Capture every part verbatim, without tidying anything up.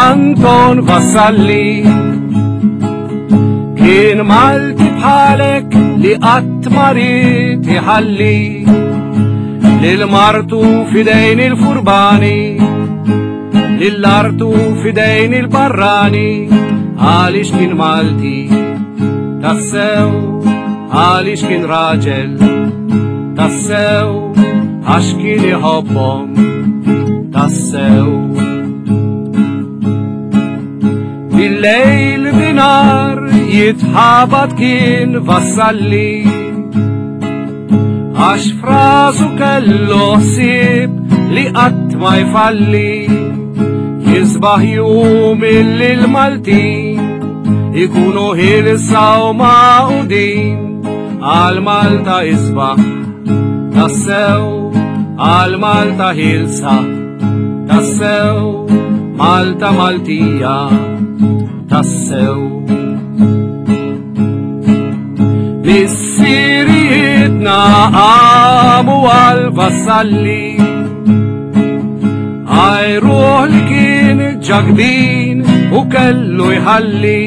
Anton Vassalli. Kien Malti bħalek li qatt ma ried iħalli lil martu f'idejn il-furbani, lil artu f'idejn il-barrani, għaliex kien Malti tassew, għaliex kien raġel tassew, għax kien iħobbhom tassew. Bil-lejl binar jitħabat kien Vassalli, għax frasu kellu ħsieb li qatt ma jfalli, jisbaħ jum illi l-Maltin ikunu ħielsa u magħqudin, għal Malta isbaħ tassew, għal Malta ħielsa tassew, Malta Maltija tassew. Missirijietna qamu għal Vassalli, għajruh li kien ġakbin u kellu jħalli,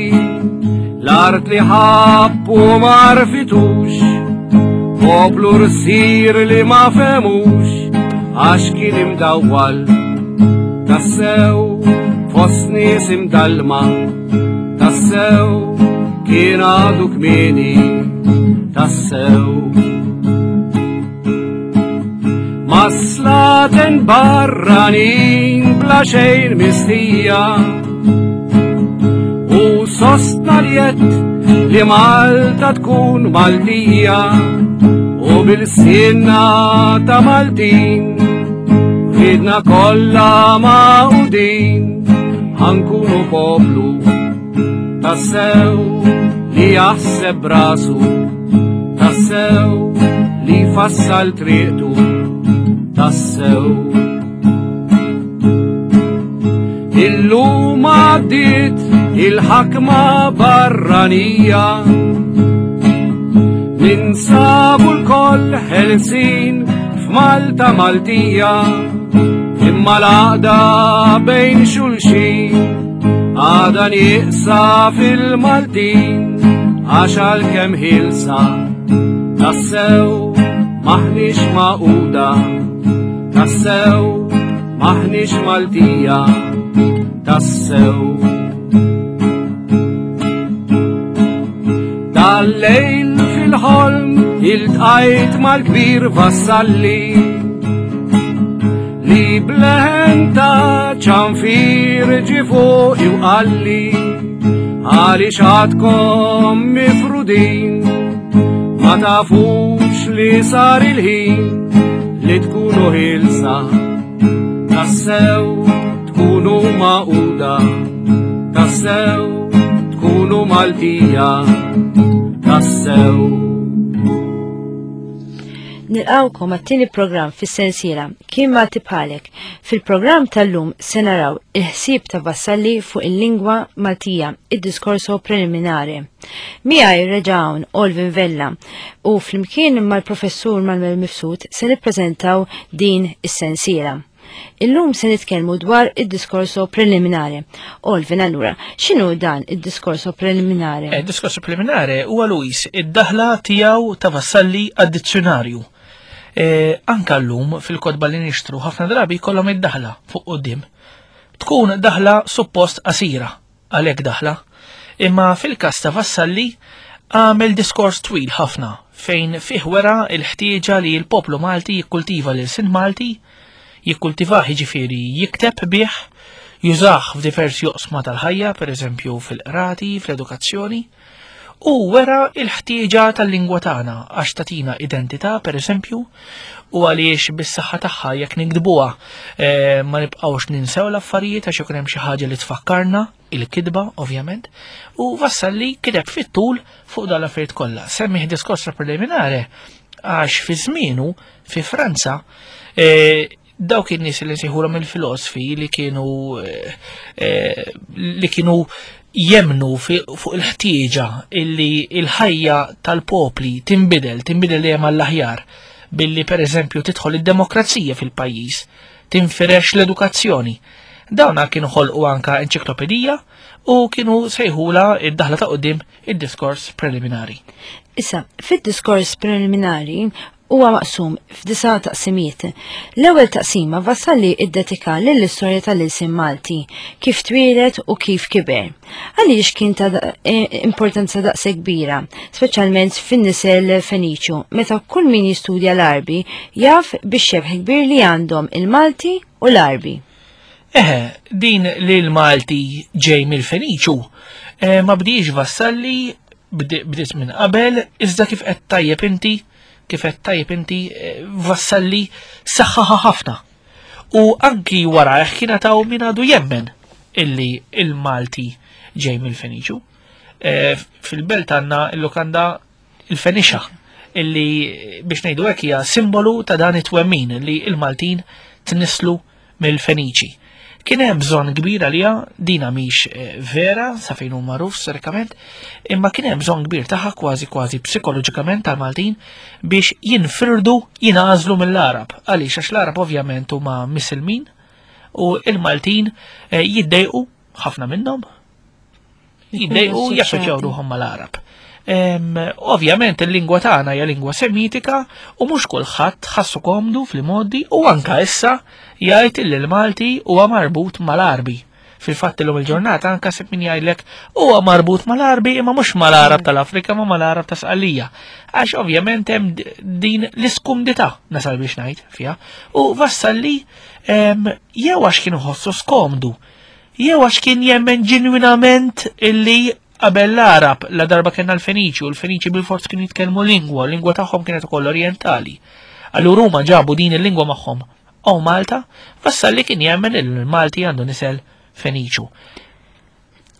l-art li ħabb u ma rfitux, poplu rsir li ma femux, għax kien imdawwal tassew, fost nies imdallma tassew, kien għadu kmieni tassew. Ma slaten barranin bla xejn mistija, u sostna li jett li Malta tkun Maltija, u bil-sinna ta' Maltin ridna kollha magħqudin, ħankunu poplu tassew li jaħseb rasu, tassew li fassal triqtu tassew. Illum għaddiet il-ħakma barranija, ninsabu l-koll ħelsin f'Malta Maltija, imma l-għaqda bejn xulxin għadha nieqsa fil-Maltin, għax għalkemm ħielsa tassew maħniex magħquda, tassew maħniex Maltija tassew. Dal-lejl fil-ħolm iltqajt mal-kbir Vassalli, li bleħen ta' ċanfir ġie fuqi u qalli, għaliex għadkom mifrudin, ma tafux li sar il-ħin li tkunu ħielsa tassew, tkunu magħquda tassew, tkunu Maltija tassew. Nilqawkom għat-tieni programm fis-sensiela Kien Malti Bħalek. Fil-programm tal-lum se naraw il-ħsieb ta' Vassalli fuq il-lingwa Maltija, id-diskorso preliminari. Miegħi reġa' hawn Olvin Vella u flimkien mal-professur Manuel Mifsud se nippreżentaw din is-sensiela. Illum se nitkellmu dwar id-diskorso preliminari. Olvin, allura, x'inhu dan id-diskorso preliminari? Eh, diskorso preliminari huwa Luis id-daħla tiegħu ta' Vassalli għad-dizzjonarju. Eh, anka llum fil-kotba li nixtru ħafna drabi jkollhom id-daħla fuq quddiem. Tkun daħla suppost qasira, għalhekk daħla. Imma fil-każ ta' Vassalli għamel diskors twil ħafna fejn fih wera l-ħtieġa li l-poplu Malti jikkultiva l-ilsien Malti, jikkultivah jiġifieri jikteb bih, jużah f'diversi oqsma tal-ħajja, pereżempju fil-qrati, fl-edukazzjoni, u wera l-ħtieġa tal-lingwa tagħna għax tagħtina identità, pereżempju, u għaliex bis-saħħa tagħha jekk nikdbuha eh, ma nibqgħux ninsew l-affarijiet għax ikun hemm xi ħaġa li tfakkarna, il-kitba ovvjament, u Vassalli kiteb fit-tul fuq dan l-affarijiet kollha. Semmih diskors preliminari għax fi żmienu fi Franza eh, dawk in-nies li nsejħulhom il-filosofi li kienu eh, eh, li kienu jemnu fuq il-ħtieġa illi il-ħajja tal-popli tinbidel, tinbidel dejjem għall-aħjar, billi pereżempju tidħol id-demokrazija fil-pajjiż, tinfirex l-edukazzjoni. Dawna kienu ħolqu anka enċiklopedija u kienu sejħula id-daħla ta' quddiem id-diskors preliminari. Issa, fid-diskors preliminari huwa maqsum f'disa' taqsimiet. L-ewwel taqsima Vassalli iddedika lill-istorja tal-ilsien Malti, kif twieled u kif kiber. Għaliex kien ta' importanza daqshekk kbira, speċjalment fin-nisel Feniċju, meta kull min jistudja l-Għarbi jaf bix-xebh kbir li għandhom il-Malti u l-Għarbi. Eħe, din li l-Malti ġej mill-Feniċu, eh, ma bdiex Vassalli, bdiet minn qabel, iżda kif qed tajjeb inti, kif qed tajjeb inti, Vassalli saħħaħa ħafna. U anki warajh kien taw min għadu jemmen illi il-Malti ġej mill-Feniċu. Fil-belt għandna il-lukanda il-Fenixa, illi biex ngħidu hekk hija simbolu ta' dan it-twemmin li il-Maltin tnislu mill-Feniċi. Kien hemm bżonn kbir għaliha, dina mhix vera sa fejn hu magħruf storikament, imma kien hemm bżonn kbir tagħha kważi kważi psikoloġikament tal-Maltin biex jinfirdu, jingħażlu mill-Arab. Għaliex? Għax l-Arab ovvjament huma misilmin u il-Maltin jiddejqu ħafna minnhom, jiddejqu jassoċjaw ruħhom mal-Arab. Ovvjament il-lingwa tagħna hija lingwa semitika u mhux kulħadd ħassu komdu fil-modi u anka issa jgħid li l-Malti huwa marbut mal-Arbi. Fil-fatt illum il-ġurnata anka sib min jgħidlek huwa marbut mal-Arbi imma mhux mal-Arab tal-Afrika ma mal-Arab ta' Sqallija. Għax ovvjament hemm din l-iskumdità nasal biex ngħid fiha. U Vassalli jew għax kien iħossu skomdu, jew għax kien jemmen ġenwinament illi qabel l-Arab la darba kellna l-Feniċi u l-Feniċi bil-forz kienu jitkellmu lingwa, l-lingwa tagħhom kienet ukoll orientali. Allura huma ġabu din il-lingwa magħhom u Malta, Vassalli kien jemmen il-Malti għandu nisel Feniċu.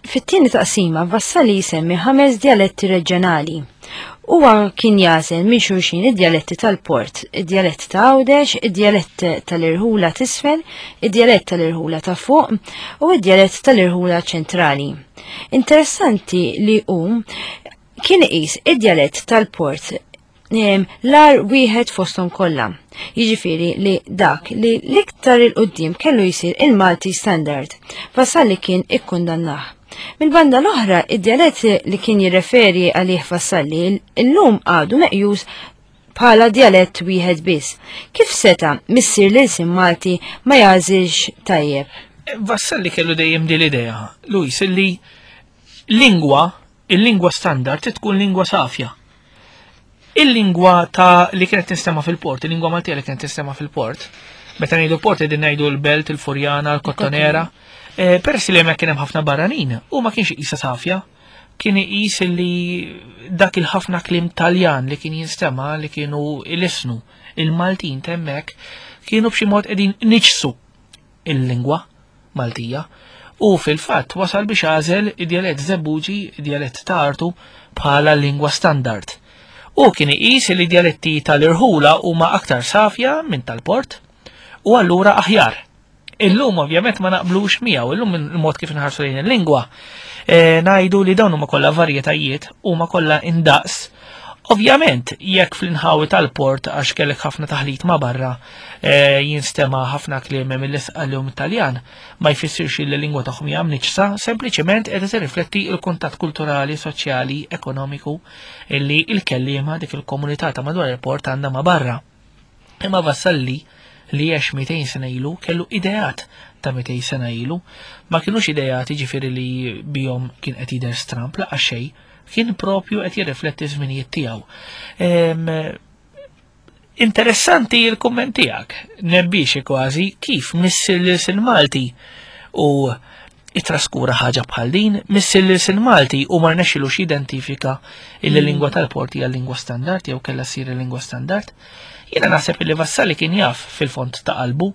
Fit-tieni taqsima Vassalli jsemmi ħames djaletti reġjonali. Huwa kien jagħżel minn xulxin id-djaletti tal-Port, id-djalett ta' Għawdex, id-djalett tal-Irħula t'isfel, id-djalett tal-Irħula ta' fuq u id-djalett tal-Irħula ċentrali. Interessanti li hu kien iqis id-djalett tal-Port l-ar wieħed fosthom kollha. Jiġifieri li dak li l-iktar il-qudiem kellu jsir il-Malti Standard. Vassalli kien ikkundannah. Mill-banda l-oħra, id-djalett li kien jirreferi għalih Vassalli illum għadu meqjus bħala djalett wieħed biss. Kif seta' missier l-ilsien Malti ma jagħżilx tajjeb? Vassalli kellu dejjem din l-idea, Luis, illi lingwa, il-lingwa standard tkun lingwa safja. Il-lingwa ta' li kienet tinstema' fil-port, il-lingwa Maltija li kienet tinstema' fil-port, meta ngħidu port qegħdin ngħidu l-Belt, il-Furjana, l-Kottonera, peress li hemmhekk kien hemm ħafna barranin, u ma kienx iqisha safja, kien iqis li dak il-ħafna kliem Taljan li kien jinstema' li kienu ilisnu il-Maltin t'hemmhekk kienu b'xi mod qegħdin niġsu il-lingwa Maltija. U fil-fatt wasal biex għażel id-djalett Żebbuġi, id-djalett ta' Artu bħala lingwa standard. U kien iqis li djaletti tal-irħula huma aktar safja minn tal-port u allura aħjar. Illum ovvjament ma naqblux miegħu, illum il-mod kif inħarsu lejn il-lingwa, ngħidu li dawn huma kollha varjetajiet, huma kollha indaqs. Ovvjament, jekk fl-inħawi tal-port għax kellek ħafna taħlit ma' barra, jinstema' ħafna kliem mill-Isqalli u mit-Taljan, ma jfissirx li l-lingwa tagħhom hija mniġsa, sempliċement qiegħda tirrifletti l-kuntatt kulturali, soċjali, ekonomiku illi l-kelliema dik il-komunità ta' madwar il-port għandha ma' barra. Imma Vassalli li għex mitejn sena ilu kellu ideat ta' mitejn sena ilu, ma kienux ideat jiġifieri li bihom kien qed jidher stramp laqas xejn, kien propju qed jirrifletti żminijiet tiegħu. Interessanti il-kumment tiegħek, nebbixi kważi kif missier l-ilsien Malti u itraskura ħaġa bħal din, missier l-ilsien Malti u ma rnexxilux jidentifika il-lingwa tal-port hija lingwa standard jew kellha ssir il-lingwa standard. Jiena naħseb li Vassalli kien jaf fil-fond ta' qalbu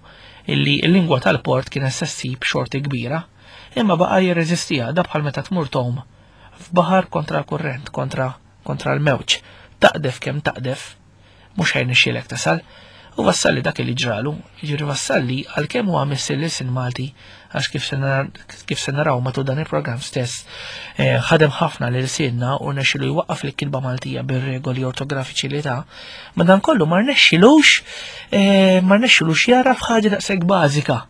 illi l-lingwa tal-port kien se ssib xorti kbira, imma baqa' jirreżistiha da bħal meta tmur tgħum f'baħar kontra l-kurrent, kontra, kontra l-mewġ. Taqdef kemm taqdef, mhux ħajnexxielek tasal. U Vassalli dak li ġralu, jiġifieri Vassalli għalkemm huwa missier l-ilsien Malti, għax kif se nar-, kif se naraw matul dan il-programm stess, ħadem ħafna lil silna u rnexxielu jwaqqaf l-kilba Maltija bir-regoli ortografiċi li ta', ma dan kollu ma rnexxilux, ma rnexxilux jara f'ħaġa daqshekk bażika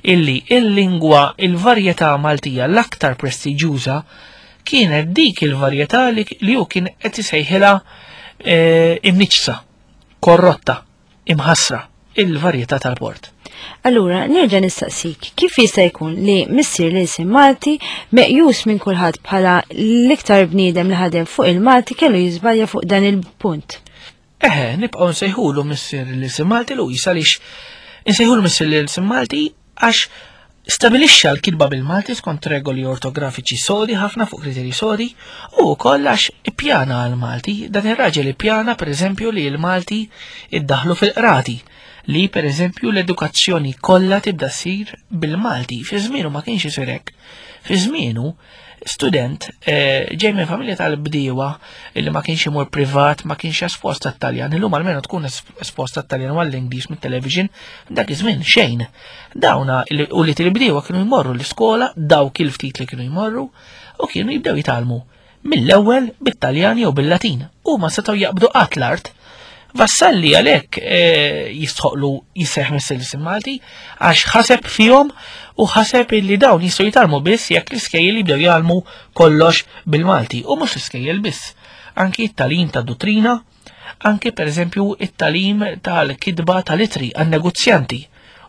illi il-lingwa, il-varjetà Maltija l-aktar prestiġjuża kienet dik il-varjetà li, li hu kien qed isejħilha e, imniċsa, korrotta, imħassra, il-varjetà tal-port. Allura, nerġa' nistaqsik, kif jista' jkun li missier l-ilsien Malti meqjus minn kulħadd bħala l-iktar bniedem li ħadem fuq il-Malti kellu jiżbalja fuq dan il-punt? Eħe, nibqgħu nsejħulu missier l-ilsien Malti Luis għaliex insejħulu missier l-ilsien Malti għax stabilixxa l-kitba bil-Malti skont regoli ortografiċi sodi ħafna fuq kriterji sodi u wkoll għax ippjana għal-Malti. Dan ir-raġel ippjana pereżempju li l-Malti iddaħlu fil-qrati, li pereżempju l-edukazzjoni kollha tibda ssir bil-Malti. Fi żmienu ma kienx isir hekk. Fi żmienu student eh, ġej minn familja tal-bdiewa li ma kienx imur privat, ma kienx espost għat-Taljan. Illum almenu tkun espost għat-Taljan u għall-Ingliż mit-television, dak iż-żmien xejn. Dawna u li tal-bdiewa kienu jmorru l-iskola, dawk il-ftit li kienu jmorru, u kienu jibdew jitgħallmu mill-ewwel bit-Taljan jew bil-Latin. U ma setgħu jaqbdu qatt l-art. Vassalli għalhekk eh, jistħoqlu jisseħ mis-silsim Malti għax ħaseb fihom u ħaseb illi dawn jistgħu jitgħallmu biss jekk l-iskejjel jibdew jgħallmu kollox bil-Malti u mhux l-iskejjel biss. Anki t-tagħlim ta' dottrina, anki pereżempju it-tagħlim tal-kitba tal-itri għan-negozjanti.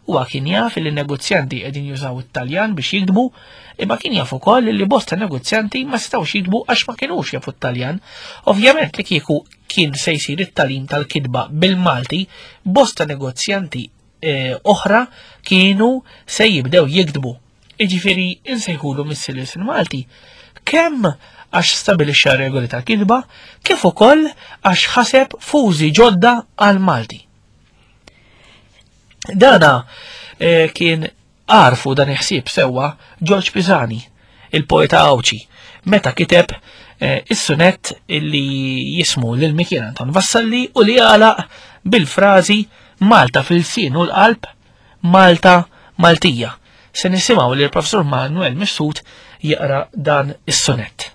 Huwa kien jaf li n-negozjanti qegħdin jużaw it-Taljan biex jiktbu, imma kien jaf ukoll li bosta negozjanti ma setgħux jiktbu għax ma kinux jafu t-Taljan. Ovvjament li kieku kien se jsir it-tagħlim tal-kitba bil-Malti, bosta negozjanti eh, oħra kienu se jibdew jiktbu. Jiġifieri insejħulu missier l-ilsien Malti kemm għax stabilixxa regoli tal-kitba, kif ukoll għax ħaseb fużi ġodda għal-Malti. Dana eh, kien għarfu dan il-ħsieb sewwa Ġorġ Pisani, il-poeta Għawdxi, meta kiteb eh, is-sunett illi jismu lil Mikiel Anton Vassalli u li għalaq bil-frażi Malta fil-sien u l-qalb, Malta Maltija. Se nisimgħu lil Professur Manuel Mifsud jaqra dan is-sunett.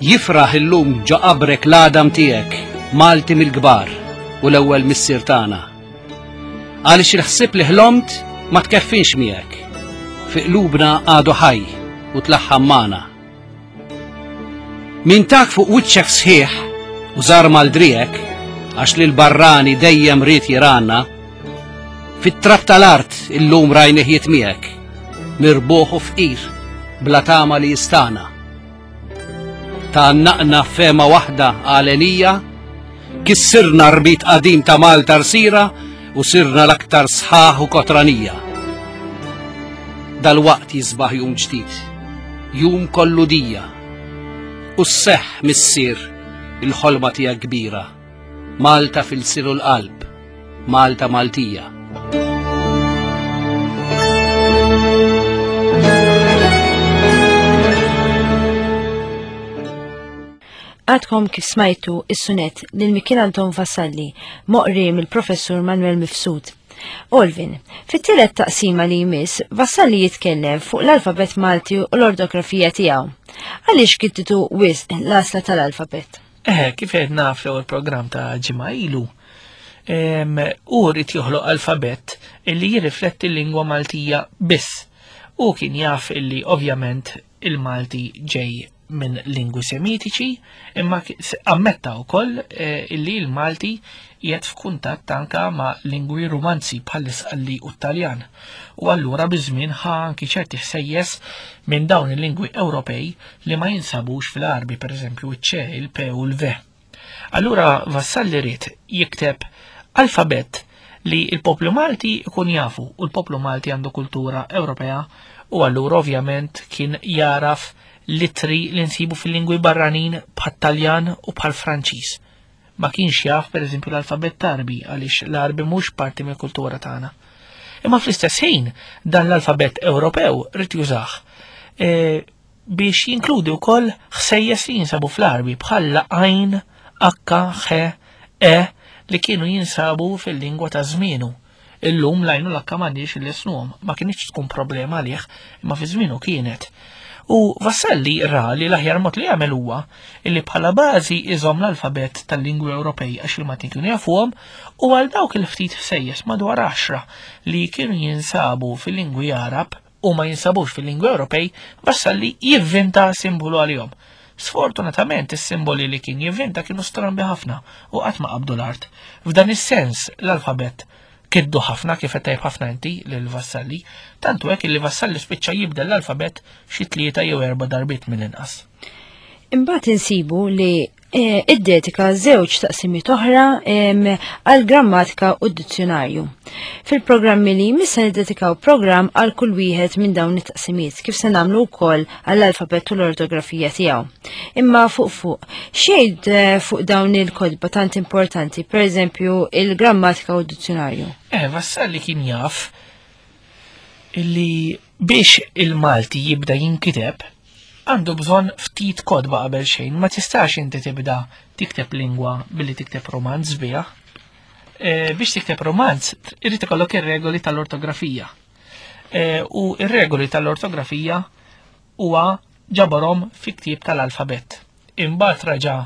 Jifraħ illum ġo qabrek l-għadam tiegħek, Malti mill-kbar u l-ewwel missier tagħna. Għaliex il-ħsieb li ħlomt ma tkeffinx miegħek, fi qlubna għadu ħaj u tlaħħam magħna. Min tak fuq wiċċek sħiħ u żar mal-driegħek, għax lil barrani dejjem ried jiranna, fit-trab tal-art illum rajnih jitmiegħek, mirbuħ u fqir bla tama li jistana. Tgħannaqna fema waħda għalenija, kissirna rbit qadim ta' Malta rsira u sirna l-aktar sħaħ u kotranija. Dal-waqt jisbaħ jum ġdid, jum kollu dija, u sseħħ missier il-ħolma tiegħek kbira, Malta fil-siru l-qalb, Malta Maltija. Għadkom kif smajtu is-sunet lil Mikiel Anton Vassalli, moqri mill-Professur Manuel Mifsud. Olvin, fit-tielet taqsima li jmiss, Vassalli jitkellem fuq l-alfabet Malti u l-ortografija tiegħu. Għaliex kittitu wisq l-għażla tal-alfabet? Eh, kif qed naf l-ewwel programm ta' ġimgħa ilu, hu rrid joħloq alfabet illi jirrifletti l-lingwa Maltija biss. U kien jaf illi ovvjament il-Malti ġej minn lingwi semitiċi, imma ammetta wkoll eh, illi l-Malti qiegħed f'kuntatt anka ma' lingwi romanzi bħall-Isqalli u t-Taljan. U allura biż-żmien ħa anki ċerti ħsejjes minn dawn il-lingwi Ewropej li ma jinsabux fil-Għarbi, pereżempju iċ-C, il-P u l-V. Allura Vassalli ried jikteb alfabet li l-poplu Malti ikun jafu, u l-poplu Malti għandu kultura Ewropea, u allura ovvjament kien jaraf litri li nsibu fil-lingwi barranin bħat-Taljan u bħal-Franċiż. Ma kienx jaf pereżempju l-alfabet Għarbi għaliex l-Għarbi mhux parti mill-kultura tagħna. Imma fl-istess ħin dan l-alfabet Ewropew rid jużah, e, biex jinkludi wkoll ħsejjes li jinsabu fl-Għarbi bħal għajn, H, H, E li kienu jinsabu fil-lingwa ta' żmienu. Illum l-għajn u l-H m'għandix il-lisnuhom, ma kienx tkun problema għalih, imma fi żmienu kienet. U Vassalli ra li l-aħjar mod li jagħmel huwa illi bħala bażi iżomm l-alfabet tal-lingwi Ewropej għax il-Maltin kienu jafuhom u għal dawk il-ftit ħsejjes madwar għaxra li kienu jinsabu fil-lingwi Arab u ma jinsabux fil-lingwi Ewropej, Vassalli jivvinta simbolu għalihom. Sfortunatament is-simboli li kien jivvinta kienu strambi ħafna u qatt ma qabdu l-art. F'dan is-sens l-alfabet kiddu ħafna kif qed tajb ħafna inti lil Vassalli, tantu hekk li Vassalli spiċċa jibdel l-alfabet xi tlieta jew erba' darbiet mill-inqas. Imbagħad insibu li eh, iddedika żewġ taqsimiet oħra għal grammatika u d-dizzjonarju. Fil-programmi li jmiss se niddedikaw programm għal kull wieħed minn dawn it-taqsimiet kif se nagħmlu wkoll għall-alfabet u l-ortografija tiegħu. Imma fuq fuq, xejn eh, fuq dawn il-kotba tant importanti, pereżempju il-grammatika u d-dizzjonarju. Eh, Vassalli kien jaf illi biex il-Malti jibda jinkiteb għandu bżonn ftit kotba qabel xejn, ma tistax inti tibda tikteb lingwa billi tikteb romanz biha. E, biex tikteb romanz, irid ikollok ir-regoli tal-ortografija. E, u ir-regoli tal-ortografija huwa ġabarhom fi ktieb tal-alfabet. Imbagħad raġa'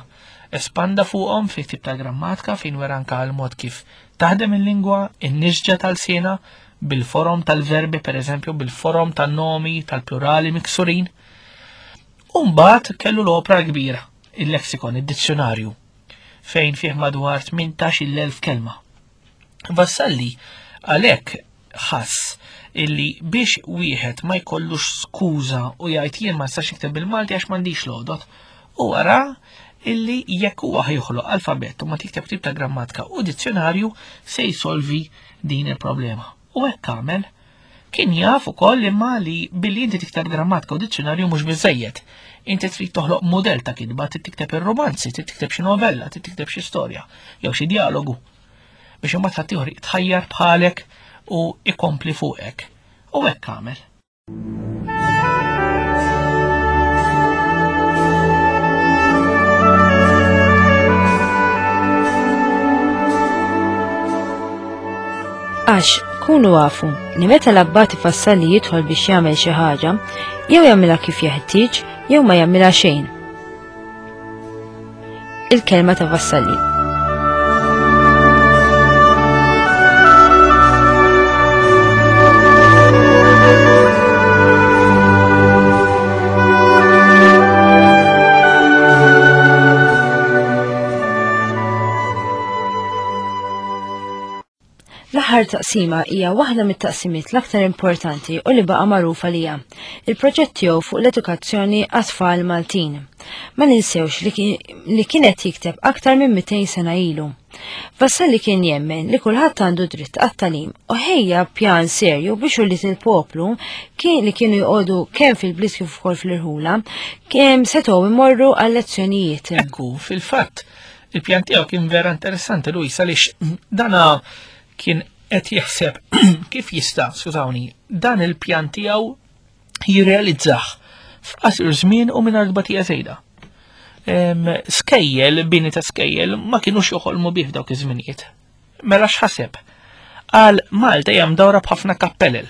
espanda fuqhom fi ktieb tal-grammatika fejn wera anke l-mod kif taħdem il-lingwa, in-nisġa tal-sena, bil-forom tal-verbi, per eżempju, bil-forom tan-nomi, tal-plurali miksurin. U mbagħad kellu l-opra kbira, il-lexikon, id-dizzjonarju, fejn fih madwar tmintax-il elf kelma. Vassalli għalhekk ħass illi biex wieħed ma jkollux skuża u jgħid jien ma nistax nikteb bil-Malti għax m'għandix l-għodot, u wara illi jekk huwa ħjoħloq alfabett u ma tikteb tip ta' grammatika u dizzjonarju se jsolvi din il-problema. U hekk għamel. Kien jaf ukoll imma li billi inti tikteb grammatika u dizzjonarju mhux biżejjed. Inti trid toħloq mudell ta' kitba, trid tikteb ir-romanzi, trid tikteb xi novella, trid tikteb xi storja jew xi dialogu biex imbagħad ħaddieħor jitħajjar bħalek u ikompli fuqek. U hekk għamel. Għax kunu għafu li meta l-abbati Vassalli jidħol biex jagħmel xi ħaġa, jew jagħmilha kif jeħtieġ, jew ma jagħmilha xejn. Il-kelma ta' Vassalli. L-aħħar taqsima hija waħda mit-taqsimiet l-aktar importanti u li baqa' magħruf għalija, il-proġett tiegħu fuq l-edukazzjoni għat-tfal Maltin. Ma ninsewx li kien, kienet jikteb aktar minn mitejn sena ilu. Vassalli kien jemmen li kulħadd għandu dritt għat-tagħlim u ħejja pjan serju biex ulied il-poplu kien li kienu joqogħdu kemm fil-bliet kif ukoll fl-irħula kemm setgħu imorru għal lezzjonijiet. Ekku, fil-fatt, il-pjan tiegħu kien vera interessanti Luis għaliex dana kien qed jaħseb kif jista', skużawni, dan il-pjan tiegħu jirrealizzah f'qasir żmien u mingħajr tbatija żejda. Skejjel, bini ta' skejjel, ma kinux joħolmu bih f'dawk iż-żminijiet. Mela x'ħaseb? Qal Malta hija mdawra b'ħafna kappellel,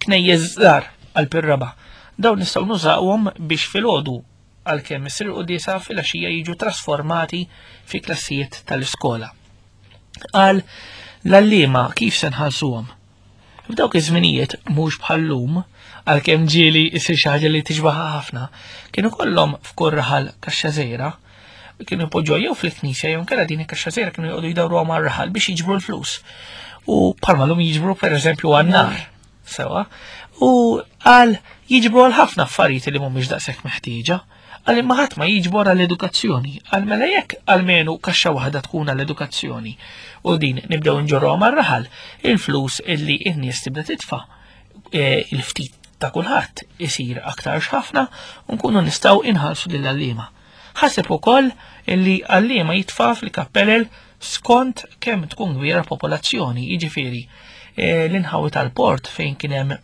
knejjes żgħar għal pirraba. Dawn nistgħu nużawhom biex filgħodu għalkemm isir quddiesa filgħaxija jiġu trasformati fi klassijiet tal-iskola. Qal l-għalliema kif se nħallsuhom? F'dawk iż-żminijiet mhux bħal-lum, għalkemm ġieli jsir xi ħaġa li tixbaħha ħafna, kienu kollhom f'kull raħal kaxxa żgħira, kienu jpoġġuha jew fil-knisja jew inkella din il-kaxxa żgħira kienu joqogħdu jdawruha mar-raħal biex jiġbru l-flus. U bħalma llum jiġbru pereżempju għan-nar, sewa, u qal jiġbru għal ħafna affarijiet li mhumiex daqshekk meħtieġa. Għal imma ħadd ma jiġbor għall-edukazzjoni, għal mela jekk almenu kaxxa waħda tkun għall-edukazzjoni u din nibdew nġorruha mar-raħal, il-flus illi n-nies tibda titfa', e, il-ftit ta' kulħadd isir aktar ħafna u nkunu nistgħu inħallsu lill-għalliema. Ħaseb ukoll illi għalliema jitfa' fil-kappellel skont kemm tkun kbira l-popolazzjoni, jiġifieri, e, l-inħawi tal-port fejn kien hemm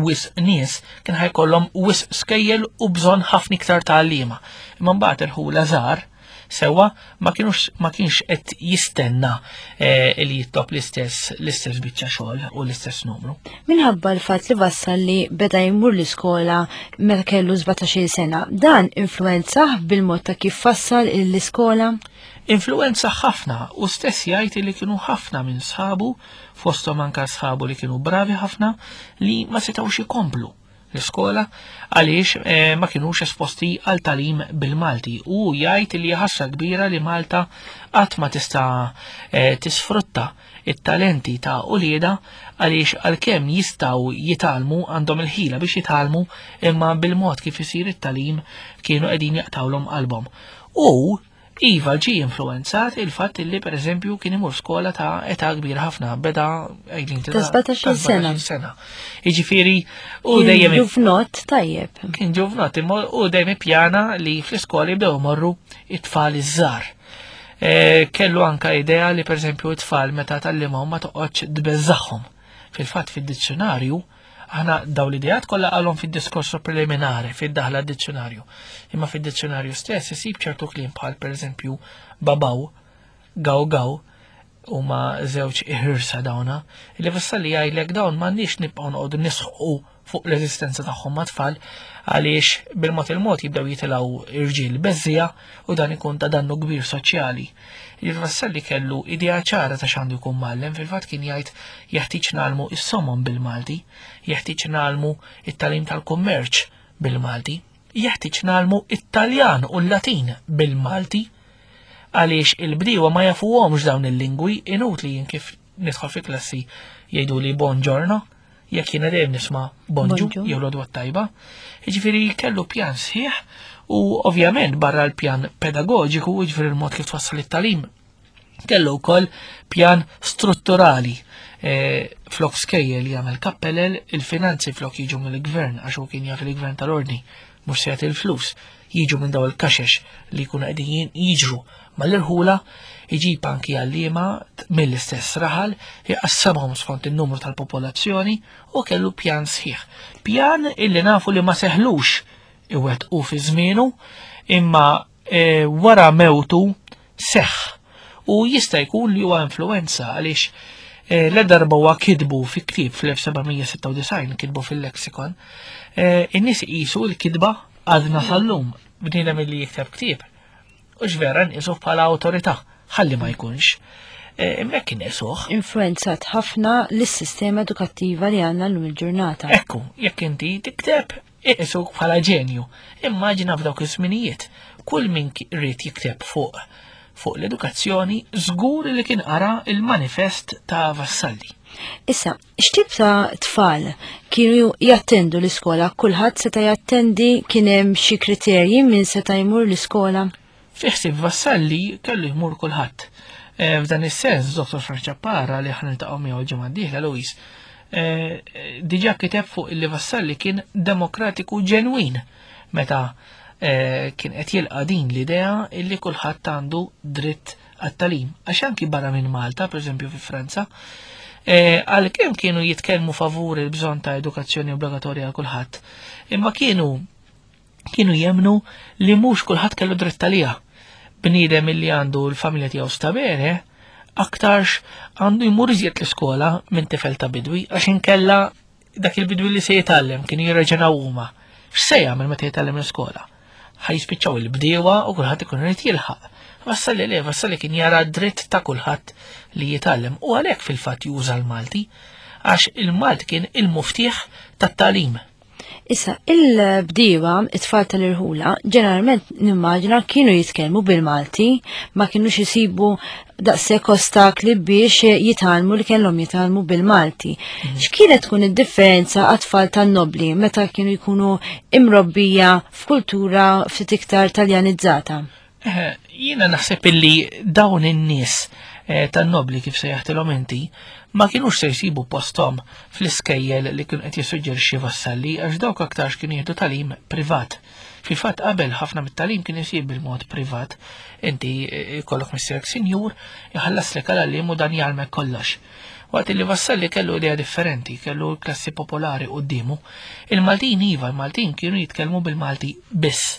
wis nies kien ħajkollhom wis skejjel u bżonn ħafna iktar ta' għalliema. Imma mbagħad irħula żgħar Sewa ma kienux ma kienx qed jistenna eh, li jitlob l-istess l-istess biċċa xogħol u l-istess numru. Minħabba l-fatt li Vassalli beda jmur l-iskola meta kellu sbatax-il sena, dan influenza bil-mod ta' kif fassal l-iskola? Influenza ħafna, u stess jgħid li kienu ħafna minn sħabu, fosthom anka sħabu li kienu bravi ħafna, li ma setgħux ikomplu l-iskola għaliex eh, ma kienux esposti għal talim bil-Malti, u jgħid li ħasra kbira li Malta qatt ma tista' eh, tisfrutta it-talenti ta' ulieda, għaliex għalkemm jistgħu jitgħallmu, għandhom il-ħila biex jitgħallmu, imma bil-mod kif isir it-talim kienu qegħdin jaqtawlhom qalbhom. U iva ġie influenzat il-fatt li per eżempju kien imur skola ta' età kbira ħafna, beda għidlin ta' sbatax-il sena. sena. Jiġifieri, u Kien dejjem ġuvnott tajjeb. Kien ġuvnott, imma u dejjem ippjana li fl-iskola jibdew imorru it-tfal iż-żgħar. E, kellu anka idea li per eżempju it-tfal meta tgħallimhom ma toqgħodx tbeżżagħhom. Fil-fatt fid-dizzjonarju aħna daw l-ideat kollha qalhom fid-diskorso preliminari, fid-daħla d-dizzjonarju. Imma fid-dizzjonarju stess isib ċertu kliem bħal pereżempju babaw, gaw gaw, huma żewġ iħirsa dawna, li Vassalli jgħidlek dawn m'għandniex nibqgħu noqogħdu nisħqu fuq l-eżistenza tagħhom ma' tfal, għaliex bil-mod il-mod jibdew jitilgħu irġiel beżżija u dan ikun ta' dannu kbir soċjali. Il-Vassalli kellu idea ċara ta' x'għandu jkun mgħallem, fil-fatt kien jgħid jeħtieġ nagħlmu is-somom bil-Malti, jeħtieġ nagħlmu it-tagħlim tal-kummerċ bil-Malti, jeħtieġ nagħlmu it-Taljan u l-Latin bil-Malti, għaliex il-bdiewa ma jafuhomx dawn il-lingwi, inutli jien kif nidħol fi klassi jgħidu li buongiorno, jekk jiena dejjem nisma' bonġu Bonġu. jew l-għodwa tajba. Jiġifieri kellu pjan sħiħ u ovvjament barra l-pjan pedagoġiku, jiġifieri l-mod kif twassal it-tagħlim, kellu wkoll pjan strutturali. E, flok skejjel jagħmel kappellel, il-finanzi flok jiġu mill-gvern, għax hu kien jaf il-gvern tal-ordni mhux se jagħti l-flus, jiġu minn daw il-kaxex li jkunu qegħdin jiġru mal-irħula, iġib anki għalliema mill-istess raħal, jqassamhom skont in-numru tal-popolazzjoni u kellu pjan sħiħ. Pjan illi nafu li ma seħlux iwettqu fi żmienu, imma, e, wara mewtu seħħ. U jista' jkun li huwa influenza għaliex, e, l-darba huwa kitbu fi ktieb fl-elf seba' mija sitta u disgħin, kitbu fil-lexikon, e, in-nies iqisu l-kitba għadna sal-lum, bniedem li jikteb ktieb. U x'vera nqisuh bħala awtorità, ħalli ma jkunx. E, imma kien isuh. Influenzat ħafna lis-sistema edukattiva li għandna llum il-ġurnata. Ekku, jekk inti tikteb, iqisuk bħala ġenju. Immaġina f'dawk iż-żminijiet, kull min ki-, ried jikteb fuq, fuq l-edukazzjoni, żgur li kien qara il-manifest ta' Vassalli. Issa, x'tip ta' tfal kienu jattendu l-iskola? Kulħadd seta' jattendi, kien hemm xi kriterji min seta' jmur l-iskola? Fi ħsieb Vassalli kellu jmur kulħadd. Eh, f'dan is-sens, Dottor Frank Ciappara li aħna niltaqgħu miegħu l-ġimgħa d-dieħla, Louise, eh, diġà kiteb fuq illi Vassalli kien demokratiku ġenwin meta, eh, kien qed jilqa' din l-idea illi kulħadd għandu dritt għat-tagħlim. Għax anki barra minn Malta, pereżempju fi Franza, eh, għalkemm kienu jitkellmu favur il-bżonn ta' edukazzjoni obbligatorja għal kulħadd, imma kienu, kienu jemnu li mhux kulħadd kellu dritt għaliha. Bniedem illi għandu l-familja tiegħu stabene, aktarx għandu jmur iżjed l-iskola minn tifel ta' bidwi, għax inkella dak il-bidwi li se jitgħallem kienu jirraġunaw huma. X'se jagħmel meta jitgħallem l-iskola? Ħa jispiċċaw il-bdiewa u kulħadd ikun irid jilħaq. Vassalli le, Vassalli kien jara dritt ta' kulħadd li jitgħallem u għalhekk fil-fatt juża l-Malti, għax il-Malti kien il-muftieħ tat-tagħlim. Issa, il-bdiewa, it-tfal tal-irħula, ġeneralment nimmaġina kienu jitkellmu bil-Malti, ma kienux isibu daqshekk ostakli biex jitgħallmu li kellhom jitgħallmu bil-Malti. Mhm. X'kienet tkun id-differenza għat-tfal tan-nobli meta kienu jkunu imrobbija f'kultura ftit iktar taljanizzata? Eh, jiena naħseb illi dawn in-nies, eh, tan-nobli kif se jaħtilhom inti ma kienux se jsibu posthom fl-iskejjel li kienu qed jissuġġerixxi Vassalli għax dawk aktarx kienu jieħdu tagħlim privat. Fil-fatt qabel ħafna mit-tagħlim kien isir bil-mod privat. Inti, eh, ikollok missierek sinjur, iħallaslek għal għalliem u dan jgħallmek kollox. Waqt li Vassalli kellu idea differenti, kellu l-klassi popolari quddiemu. Il-Maltin iva, il-Maltin kienu jitkellmu bil-Malti biss.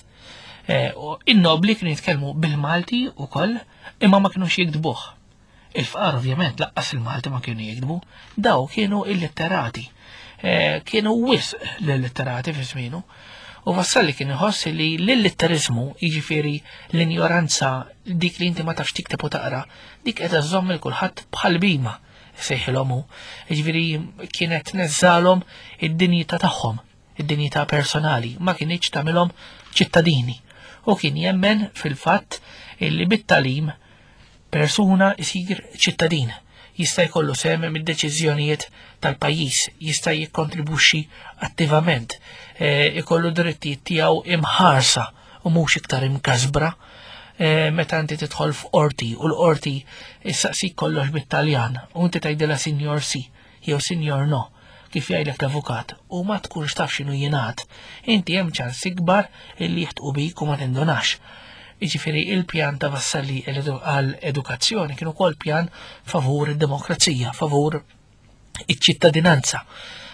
Eh, in-nobli kienu jitkellmu bil-Malti ukoll, imma ma kinux jiktbuh. Il-fqar ovvjament laqqas il-Malti ma kienu jiktbu, daw kienu il-litterati. Eh, kienu wisq l-litterati fi żmienu. U Vassalli kien iħoss li l-litterizmu, jiġifieri l-injoranza, dik li inti ma tafx tikteb u taqra, dik qed iżżomm il kulħadd bħal bima sejħilhom hu. Jiġifieri kienet tneżżalhom id-dinjità tagħhom, id-dinjità personali, ma kinitx tagħmilhom ċittadini. U kien jemmen fil-fatt illi bit-tagħlim persuna isir ċittadin, jista' jkollu sehem mid-deċiżjonijiet tal-pajjiż, jista' jikkontribwixxi attivament, eh, ikollu drittijiet tiegħu imħarsa u mhux iktar imkasbra. Eh, meta inti tidħol f'qorti u l-qorti issaqsik kollox bit-Taljan u inti tgħidilha signor sì jew signor no, kif jgħidlek l-avukat, u ma tkunx taf x'inhu jingħad, inti hemm ċans ikbar illi jieħdqu bik u ma tindunax. Jiġifieri il-pjan ta' Vassalli għal edukazzjoni kien ukoll pjan favur id-demokrazija, favur iċ-ċittadinanza.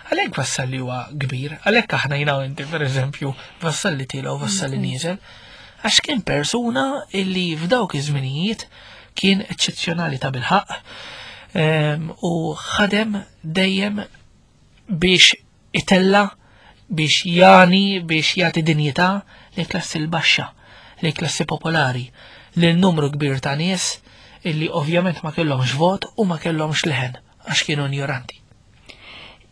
Għalhekk Vassalli huwa kbir, għalhekk aħna jiena u inti, pereżempju, Vassalli tiela' u Vassalli nieżel, għax kien persuna illi f'dawk iż-żminijiet kien eċċezzjonali ta' bilħaqq ehm, u ħadem dejjem biex itella, biex jani, biex jagħti dinjità li klassi l-baxxa, li klassi popolari, lil numru kbir ta' nies illi ovvjament ma kellhomx vot u ma kellhomx leħen għax kienu ignoranti.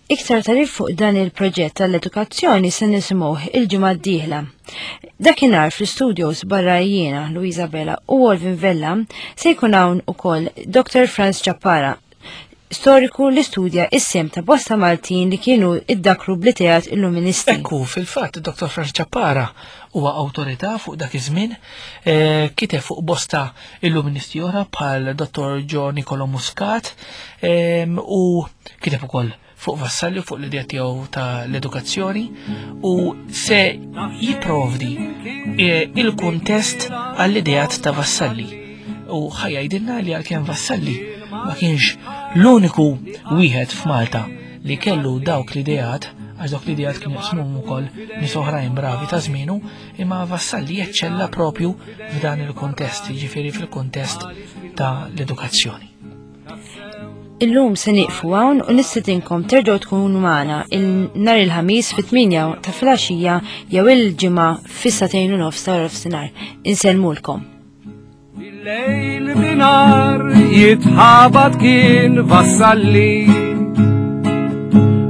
Iktar tagħrif fuq dan il-proġett tal-edukazzjoni se nisimgħuh il-ġimgħa d-dieħla. Dakinhar fl-studios barra jiena, Luisa Bella u Olvin Vella, se jkun hawn ukoll Doctor Franz Ciappara, storiku li studja is-sehem ta' bosta Maltin li kienu iddakru bl-ideat illuministi. Ekku, fil-fatt, Doctor Franz Ciappara huwa awtorità fuq dak iż-żmien, eh, kiteb fuq bosta illuministi oħra bħal Dottor Gio Nicolo Muscat em, u kiteb ukoll fuq Vassalli, fuq l-idea tiegħu ta' l-edukazzjoni u se jipprovdi eh, il-kuntest għall-ideat ta' Vassalli. U ħa jgħidilna li għalkemm Vassalli ma kienx l-uniku wieħed f'Malta li kellu dawk l-ideat, għax dawk l-ideat kienu jaqsmuhom ukoll nies oħrajn bravi ta' żmienu, imma Vassalli jeċċella propju f'dan il-kuntest, jiġifieri fil-kuntest ta' l-edukazzjoni. Illum se nieqfu hawn u nistedinkom terġgħu tkunu magħna il-nhar il-Ħamis fit-tmienja ta' filgħaxija jew il-Ġimgħa fis-sagħtejn u nofs ta' nofsinhar. Insellmulkom. Lejl bi nhar jitħabat kien Vassalli,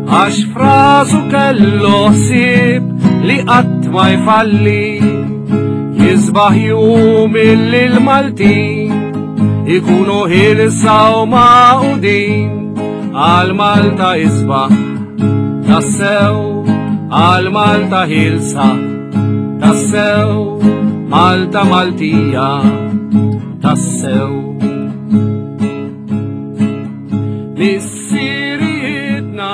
għax f'rasu kellu ħsieb li qatt ma jfalli. Jisbaħ jum illi l-Maltin ikunu ħielsa u magħqudin, għal Malta isbaħ tassew, għal Malta ħielsa tassew, Malta Maltija tassew. Missirijietna.